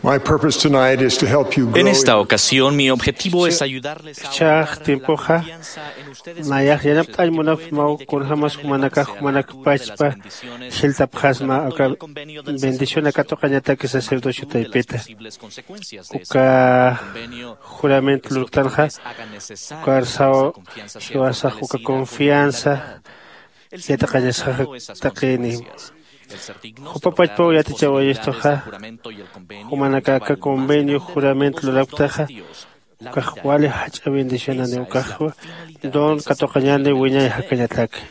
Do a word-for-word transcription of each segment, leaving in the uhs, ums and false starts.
My purpose tonight is to help you grow En esta in ocasión, mi objetivo es ayudarles a Chax aumentar la tiempoxa confianza en ustedes nayax mismos y yanapt'añ munapxsmaw kunjämas jumanakax jumanakpachpa jiltapxasma aka bendición aka tuqañataki sacerdocio taypita. Uka juramento lurktanxa ukar saw jiwasax uka confianza yatiqañasaxa taqini. Jupapachpaw yatichawayistuxa jumanaka aka convenio juramento lurapktaxa ukax wali jach'a bendicionani ukaxwa don katuqañani wiñay jakañataki.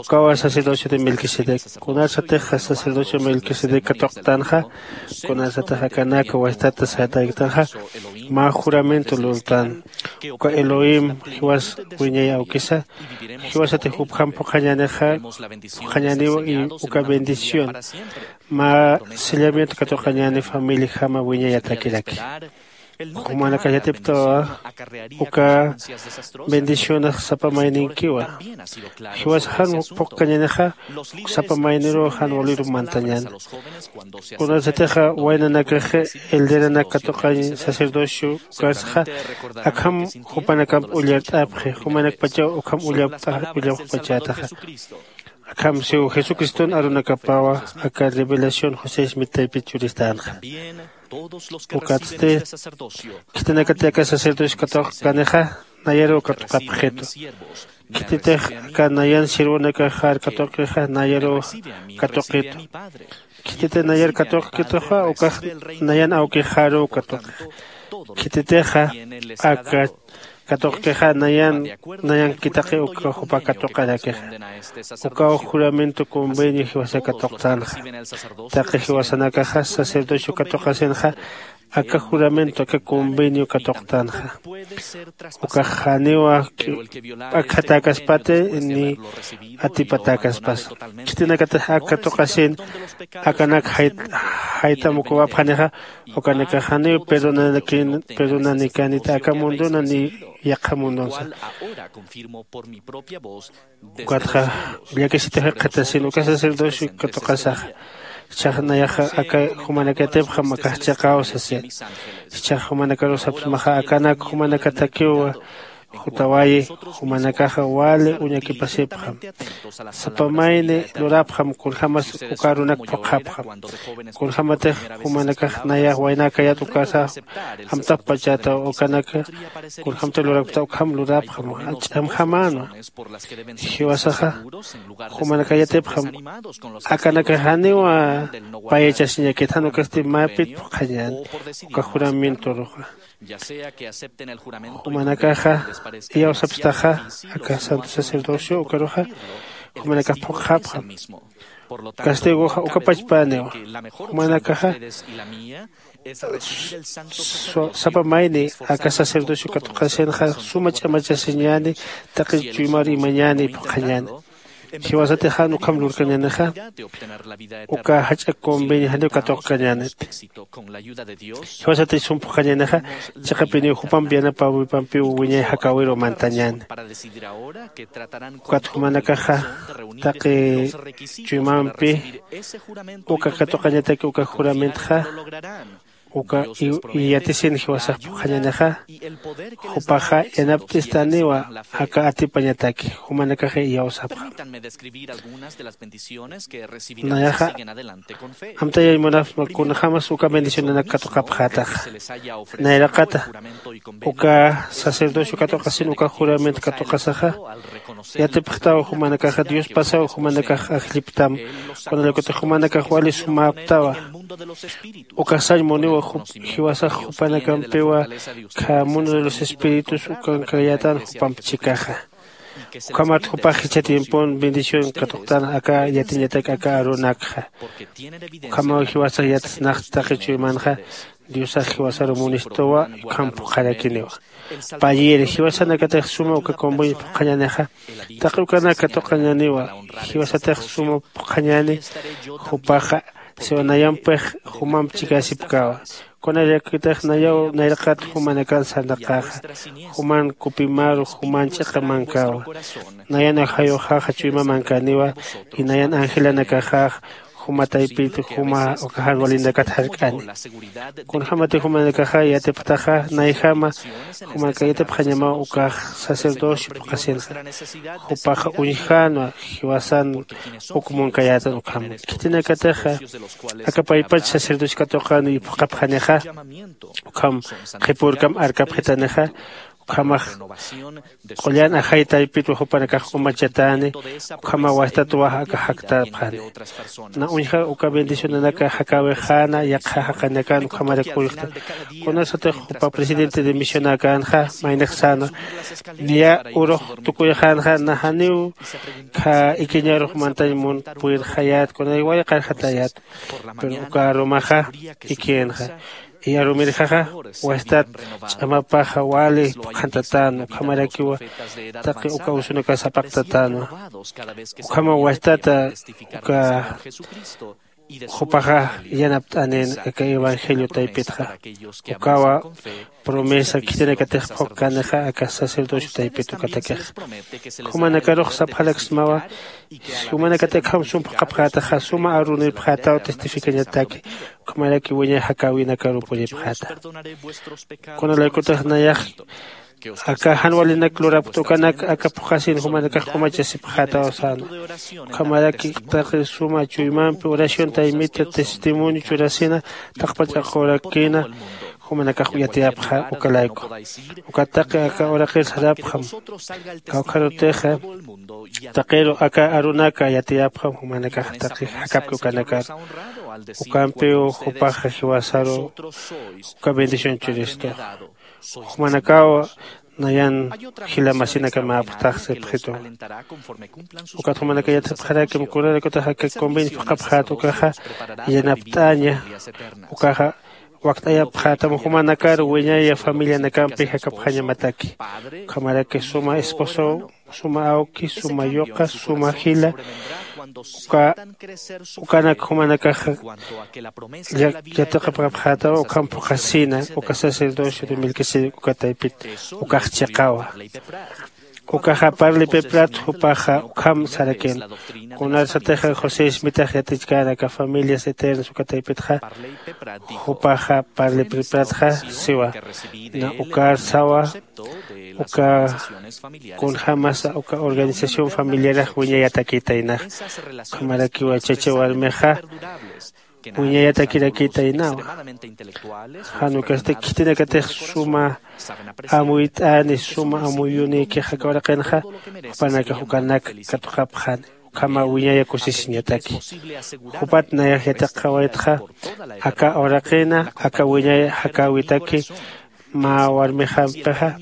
Ukawa sacerdocio de melquisedec kunasatix sacerdocio melquisedec katuqtanxa kunasatix akanaka wastata sayatayktanxa mä juramento lurtan uka elohim jiwas wiñay awkisa jiwasatix jupjam phuqhañänixa phuqhañäniw y uka bendición mä sellamiento katuqañäni familiajama wiñayatakiraki. Jumanakax yatiptawa uka bendicionax sapa mayninkiwa jiwasax jan phuqkañänixa sapa mayniruw jan waliruw mantañäni. Kunasatixa waynanakax elderanak katuqañ sacerdocio ukarsaxa akham jupanakamp ullart'apxi jumanakpachaw ukham ullapxpachätaxa. Akham siw jesucriston arunakapawa aka revelación josé smit taypit churistänxa. Ukatsti khitinakati aka sacerdocio katuqkanixa nayaruw katuqapxitu. Khititix aka nayan sirvunakaxar katuqixa nayaruw katuqitu. Khititix nayar katuqkituxa ukax nayan awkixaruw katuqix. Khititixa aka katuqkixa nayan nayankitaqi uka jupa katuqarakixa. Ukaw juramento convenio jiwasa katuqtanxa. Taqi jiwasanakaxa sacerdocio katuqasinxa aka juramento aka convenio katuqtanxa. Ukax janiwa akjatäkaspati ni atipatäkaspasa. Khitinakatix ak katuqasin akanak jaytam ukawapxanixa ukanakax janiw perdonanikanita aka mundona ni yaqha mundonsa. Ukatxa llakisitix jikxatasin uka sacerdocio katuqasaxa. Jichhax nayaxa aka jumanak yatipxam akax chiqaw sasi. Jichhax jumanakaruw sapsmaxa akanak jumanakatakiw jutawayi. Jumanakaxa wali uñakipasipxam sapa mayni lurapxam kunjämas uka arunak phuqhapxam. Kunjämatix jumanakax nayax waynäkayät ukasa amtapxpachätaw ukanaka kunjämtix lurakpta ukham lurapxam ch'amjamänwa. Jiwasaxa jumanaka yatipxam akanakax janiwa payachasiñakit jan ukasti mäpit phuqhañän uka juramentoruxa. Jumanakaxa iyawsapstaxa aka santo sacerdocio ukaruxa jumanakax phuqhapxam. Castigoxa uka pachpäniwa. Jumanakaxa sapa mayni aka sacerdocio katuqasinxa suma ch'amachasiñäni taqi chuymar imañäni phuqhañäni. Jiwasatix jan ukham lurkañänixa uka jach'a convenio janiw katuqkañäniti. Jiwasatix sum phuqhañänixa chiqapiniw jupamp yanapäwipampiw wiñay jakäwiruw mantañäni. Ukat jumanakaxa taqi chuymampi uka katuqañataki uka juramentxa uka yatisin jiwasax phuqhañänixa jupaxa yanapt'istaniwa aka atipañataki. Jumanakaxa iyawsapxam. Nayaxa amtayañ munapxsma kunjämas uka bendicionanak katuqapxätaxa. Nayraqata uka sacerdocio katuqasin uka juramento katuqasaxa yatipxtaw jumanakaxa diospasaw jumanakax ajlliptam. Kunallakutix jumanakax wali sumäptawa. Ukax sañ muniwa jiwasax jupanakampiwa kha mundo de los espíritus ukankayätan jupamp chikaxa. Ukhamat jupax jichha tiempon bendición katuqtan aka yatiñatak aka arunakxa. Ukhamaw jiwasax yatsnaxt taqi chuymanxa diosax jiwasaru munistuwa. Ukham phuqharakiniwa. Payïri jiwasanakatix suma uka convenio phuqhañänixa taqi ukanak katuqañäniwa. Jiwasatix suma phuqhañäni jupaxa siwa nayampix jumamp chikäsipkäwa. Kunallakitix nayaw nayraqat jumanakan sarnaqäxa juman kupimaru juman ch'iqa mankäwa. Nayan ajayuxaxa chuyma mankäniwa. Y nayan angelanakaxax juma taypit juma uka jan walinakat jark'ani. Kunjämatix jumanakaxa yatipxtaxa nayjama jumanaka yatipxañamaw ukax sacerdocio phuqhasinxa. Jupaxa uñjänwa jiwasan uk munkayätan ukham khitinakatixa aka paypach sacerdocio katuqani phuqhapxanixa. Ukham qhipürkam arkapxitanixa. Ukhamax qullan ajay taypitwa jupanakax umachatäni. Ukhamaw wastat waja aka jaktapxani. Na uñja uka bendicionanaka jakäwixäna yaqha jaqinakan ukhamarak uñjta. Kunasatix jupa presidente de misionäkänxa maynix sänwa niya urux tukuyxänxa na janiw khä ikiñarux mantañ mun purirxayät kunay wayqarxatayät. Pero uka arumaxa ikïnxa. Iyarumirjaxa wastat ch'amapaxa wali phuqhantatänwa ukhamarakiwa taqi uka usunakas sapaqtatänwa. Ukhama wastata uka jupaxa yanapt'anin aka evangelio taypitxa. Ukawa promesa khitinakatix phuqkanixa aka sacerdocio taypit ukatakix. Jumanakarux sapxaraksmawa jumanakatix akham sum phuqhapxätaxa suma arunipxätaw testificañataki. Ukhamaraki wiñay jakäwinakarw puripxäta. Kunalaykutix nayax aka jan walinak lurapkta ukanak aka phuqhasin jumanakax umachasipxätaw sänwa. Ukhamaraki taqi suma chuymampi oración taymita testimonio churasina taqpach aqurakina jumanakax yatiyapxa uka layku. Ukat taqi aka uraqir sarapxam. Kawkharutixa taqiru aka arunaka yatiyapxam jumanakax taqi jakapki ukanakar. Ukampiw jupaxa jiwasaru uka bendición churistu. Jumanakaw nayan jila masinakamäpxtax sipxitu. Ukat jumanaka yatipxarakim kunalaykutix aka convenio phuqhapxät ukaxa yanapt'aña. Ukaxa wakt'ayapxätam jumanakar wiñaya familianakampi jakapxañamataki. Ukhamaraki suma esposow suma awki suma yuqa suma jila uka ukanak jumanakaxa yatiqapxapxätaw ukham phuqhasina uka sacerdocio de melquisedec uka taypit ukax chiqawa. Ukaxa parlipiprat jupaxa ukham sarakin. Kunarsatixa josé ismitax yatichkänaka familias eternas uka taypitxa jupaxa parlipipratxa siwa. Na ukar sawa uka kunjämasa uka organización familiarax wiñayatakïtaynax. Ukhamarakiwa chacha warmixa wiñayatakirakïtaynawa. Jan ukasti khitinakatix suma amuyt'ani suma amuyunïkix aka uraqinxa jupanakax ukanak katuqapxani. Ukhama wiñaya kusisiñataki. Jupat nayax yatiqawaytxa aka uraqina aka wiñay jakäwitaki mä warmixampixa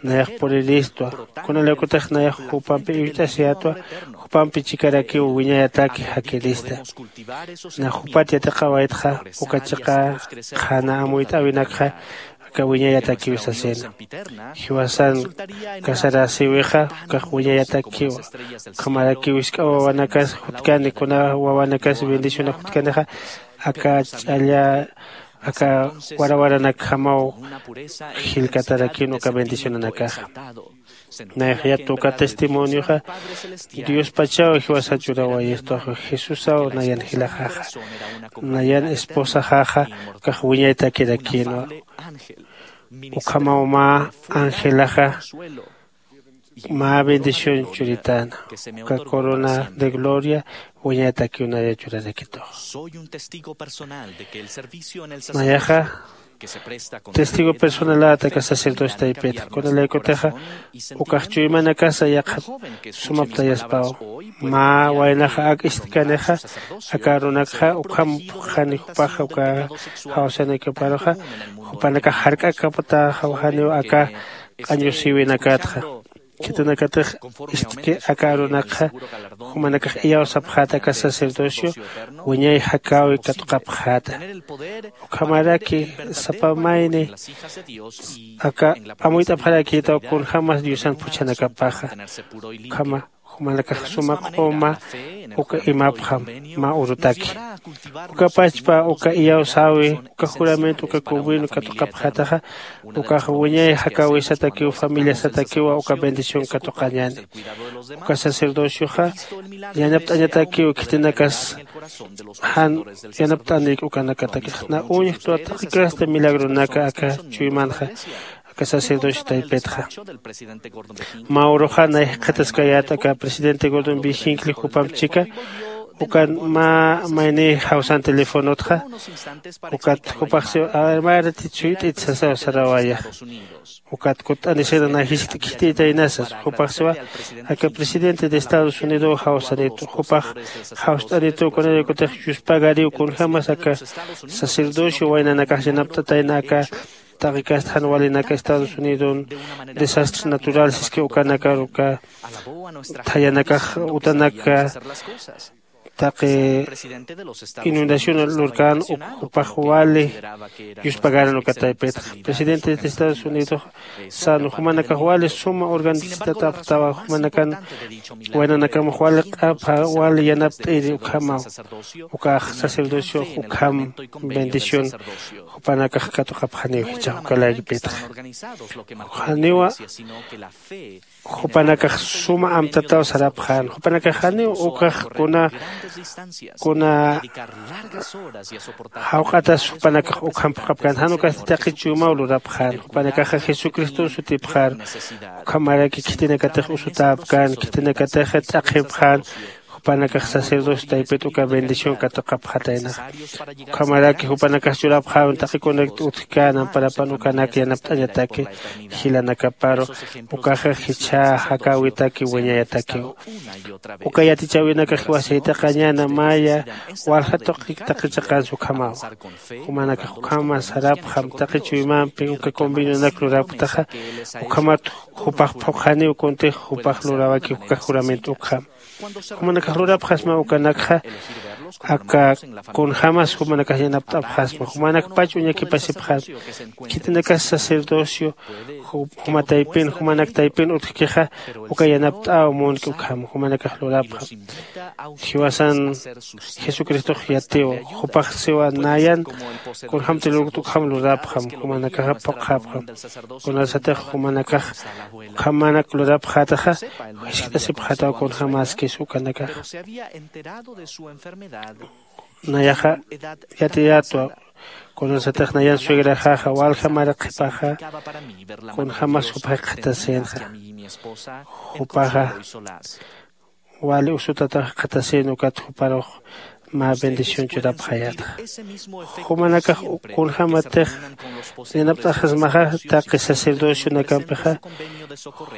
nayax puriristwa. Kunalaykutix nayax jupampi iwt'asiyätwa. Jupampi chikarakiw wiñayataki jakirista. Na jupat yatiqawaytxa uka chiqa qhana amuyt'äwinakxa aka wiñayatakiw sasina. Jiwasan casarasïwixa ukax wiñayatakiwa. Ukhamarakiw jisk'a wawanakas jutkani kuna wawanakas bendicionax jutkanixa aka ch'alla aka warawaranakjamaw jillkatarakïn uka bendicionanakaxa. Nayax yattu uka testimonioxa diospachaw jiwasa churawayistuxa. Jesusaw nayan jilaxaxa nayan esposaxaxa ukax wiñaytakirakïnwa. Ukhamaw mä angelaxa mä bendición churitäna uka corona de gloria wiñaytakiw naya churarakituxa. Nayaxa testigo personaläta aka sacerdocio taypita kunalaykutixa ukax chuymanakasa yaqhat sumaptayaspaw. Mä waynaxa ak ist'kanixa aka arunakxa ukham phuqxani jupaxa uka jawsanakaparuxa jupanakax jark'akaptaxawjaniw aka q'añusïwinakatxa. Khitinakatix ist'ki aka arunakxa jumanakax iyawsapxäta aka sacerdocio wiñay jakäwi katuqapxäta. Ukhamaraki sapa mayni aka amuyt'apxarakïtaw kunjämas diosan phuchhanakapaxa. Ukhama Jumanakax suma q'uma uka imapxam mä urutaki. Uka pachpa uka iyawsäwi uka juramento uka convenio katuqapxätaxa, ukax wiñay jakäwisatakiw familiasatakiwa uka bendición katuqañäni. Uka sacerdocioxa yanapt'añatakiw khitinakas jan yanapt'anik ukanakatakix na uñjtwa taqikasta milagronaka aka chuymanxa. Aka sacerdocio taypitxa mä uruxa nay jikxataskayät aka presidente gordon bijinkli jupamp chika ukan mä mayni jawsan telefonotxa. Ukat jupax siw armarati chuyt'it sasaw sarawaya. Ukat kutt'anisina nay jiskt'kit'itaynasas jupax siwa aka presidente de estados unido jawsanitu jupax jawst'anitu kunarikutix yuspagariw kunjämas aka sacerdocio waynanakax yanapt'atayna aka taqikast jan walinaka estados unidon desastres naturales siski ukanakar uka thayanakax utanaka taqi inundación lurkän uk jupax wali yuspagaran uka taypitxa. Presidente de estados unidos san jumanakax wali suma organizatatapxtawa jumanakan waynanakamax wali q'apha wali yanapt'iri ukhamaw. Ukax sacerdocio ukham bendición jupanakax katuqapxaniw jichhax uka laykipitxa. Janiwa jupanakax suma amtataw sarapxän jupanakax janiw ukax kuna kuna jawq'atas jupanakax ukham phuqhapkän jan ukasti taqi chuymaw lurapxän jupanakaxa jesucriston sutipxar. Ukhamaraki khitinakatix usutäpkän khitinakatix t'aqhipxän jupanakax sacerdocio taypit uka bendición katuqapxataynaxa. Ukhamaraki jupanakax churapxäwin taqi kunakt utjkän amparapan ukanak yanapt'añataki jilanakaparu ukaxa jichha jakäwitaki wiñayatakiw. Uka yatichäwinakax jiwasaytaqañäna maya walja tuqi taqi chiqansa ukhamawa. Jumanakax ukhama sarapxam taqi chuymampi uka convenionak lurapktaxa ukhamat jupax phuqhaniw kuntix jupax lurawaki uka juramento ukham. Jumanakax lurapxasma ukanakxa aka kunjämas jumanakax yanapt'apxasma jumanakpach uñakipasipxasma. Khitinakas sacerdocio juma taypin jumanak taypin utjkixa uka yanapt'äw munki ukham jumanakax lurapxam. Jiwasan jesucristox yatiw jupax siwa nayan kunjämti lurkt ukham lurapxam jumanakaxa phuqhapxam. Kunasatix jumanakax ukhamanak lurapxätaxa jiskt'asipxätaw kunjämaskis ukanakaxa. Nayaxa yatiyätwa kunasatix nayan suegraxaxa walja mara qhipaxa kunjämas jupax jikxatasinxa. Jupaxa wali usutatax jikxatasin ukat juparux mä bendición churapxayätxa. Jumanakax kunjämatix yanapt'axasmaxa taqi sacerdocionakampixa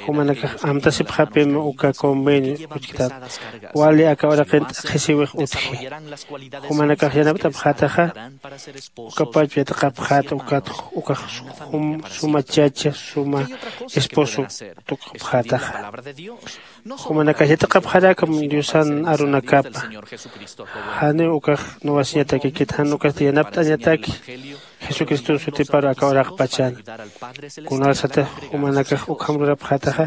jumanakax amtasipxapim uka convenio uchktat wali aka uraqin t'aqhisiwix utji. Jumanakax yanapt'apxätaxa ukapach yatiqapxäta ukat ukax suma chacha suma esposo tukxapxätaxa. Jumanakax yatiqapxarakam diosan arunakapa. Janiw ukax nuwasiñatakikit jan ukasti yanapt'añataki jesucriston sutiparu aka uraqpachan. Kunasatix jumanakax ukham lurapxätaxa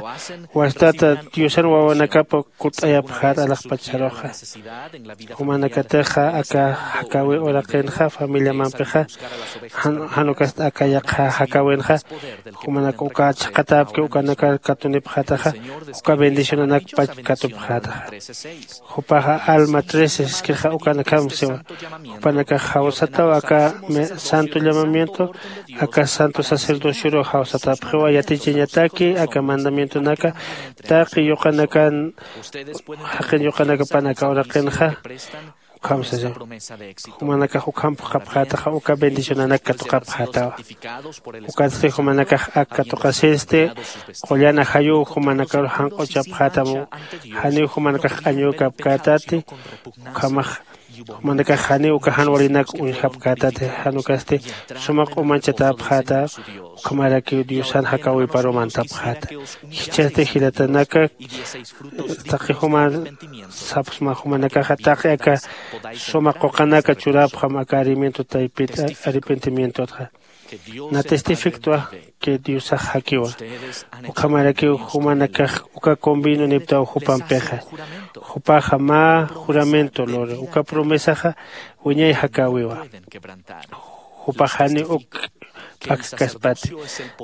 wastata diosan wawanakapa kutt'ayapxät alaxpacharuxa. Jumanakatixa aka jakäwi uraqinxa familiamampixa jan ukast aka yaqha jakäwinxa jumanak uka chhaqatäpki ukanakar katunipxätaxa uka bendicionanakpach katupxätaxa. Jupaxa alma trece siskixa ukanakham siwa jupanakax jawsataw aka santo llamamiento aka santo sacerdocioruw jawsatapxiwa yatichañataki aka mandamientonaka taqi yuqanakan jaqin yuqanakapan aka uraqinxa. Ukham sasa jumanakax ukham phuqhapxätaxa uka bendicionanak katuqapxätawa. Ukatsti jumanakax ak katuqasinsti qullan ajayuw jumanakaru janq'uchapxätam. Janiw jumanakax q'añükapkätati ukhamax jumanakax janiw uka jan walinak uñjapkätati jan ukasti suma q'umanchatäpxäta. Ukhamarakiw diosan jakäwiparu mantapxäta. Jichhasti jilatanaka taqi juman sapxsma jumanakaxa taqi aka suma quqanaka churapxam aka arimiento taypit arrepentimientotxa. Na testifiktwa que diosax jakiwa. Ukhamarakiw jumanakax uka convino niptaw jupampixa. Jupaxa mä juramento lore uka promesaxa wiñay jakäwiwa. Jupax jani uk p'akkaspati.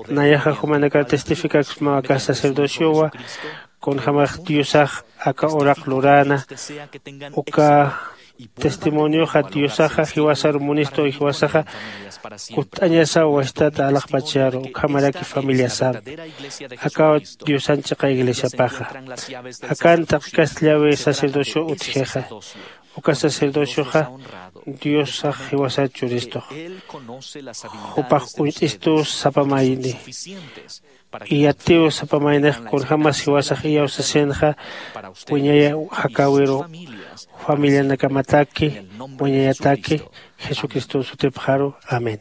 Nayaxa jumanakar testificaksmaw aka sacerdociowa kunjämax diosax aka uraq luräna. Uka testimonioxa diosaxa jiwasar munistu jiwasaxa kut'añasaw wastata alaxpacharu ukhamaraki familiasampi. Akaw diosan chiqa iglesiapaxa akan taqikastllawi sacerdocio utjixa. Uka sacerdocioxa diosax jiwasar churistux. Jupax uñt'istu sapa mayni. Iyatiw sapa maynix kunjämas jiwasax iyawsasinxa wiñay jakäwiru familianakamataki wiñayataki jesucristo sutipxaru. Amén.